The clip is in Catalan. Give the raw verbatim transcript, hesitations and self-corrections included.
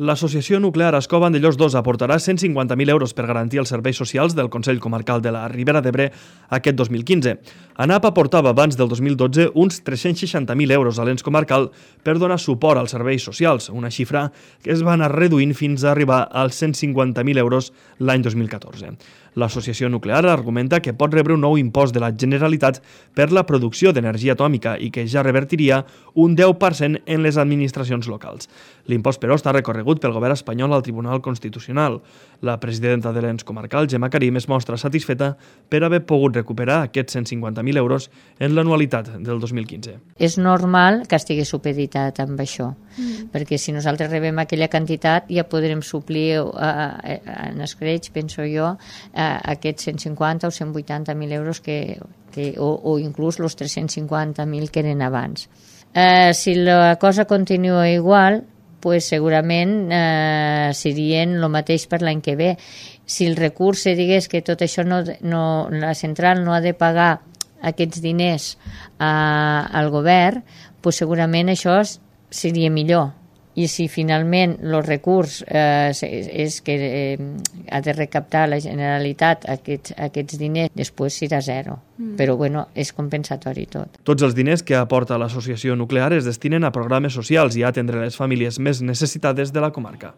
L'Associació Nuclear Ascó Vandellòs dos aportarà cent cinquanta mil euros per garantir els serveis socials del Consell Comarcal de la Ribera d'Ebre aquest dos mil quinze. ANAP aportava abans del dos mil dotze uns tres-cents seixanta mil euros a l'ens comarcal per donar suport als serveis socials, una xifra que es va anar reduint fins a arribar als cent cinquanta mil euros l'any dos mil catorze. L'Associació Nuclear argumenta que pot rebre un nou impost de la Generalitat per la producció d'energia atòmica i que ja revertiria un deu per cent en les administracions locals. L'impost, però, està recorregut pel govern espanyol al Tribunal Constitucional. La presidenta de l'ens comarcal, Gemma Karim, es mostra satisfeta per haver pogut recuperar aquests cent cinquanta mil euros en l'anualitat del dos mil quinze. És normal que estigui supeditat amb això, mm. perquè si nosaltres rebem aquella quantitat ja podrem suplir eh, en escreix, penso jo, eh, aquests cent cinquanta o cent vuitanta mil euros que, que, o, o inclús els tres-cents cinquanta mil que eren abans. Eh, si la cosa continua igual, pues segurament eh, serien el mateix per l'any que ve. Si el recurs se digués que tot això no, no, la central no ha de pagar aquests diners eh, al govern, pues segurament això seria millor. I si finalment el recurs eh, és que eh, ha de recaptar la Generalitat aquests, aquests diners, després serà zero. Mm. Però bueno, és compensatori tot. Tots els diners que aporta l'Associació Nuclear es destinen a programes socials i a atendre les famílies més necessitades de la comarca.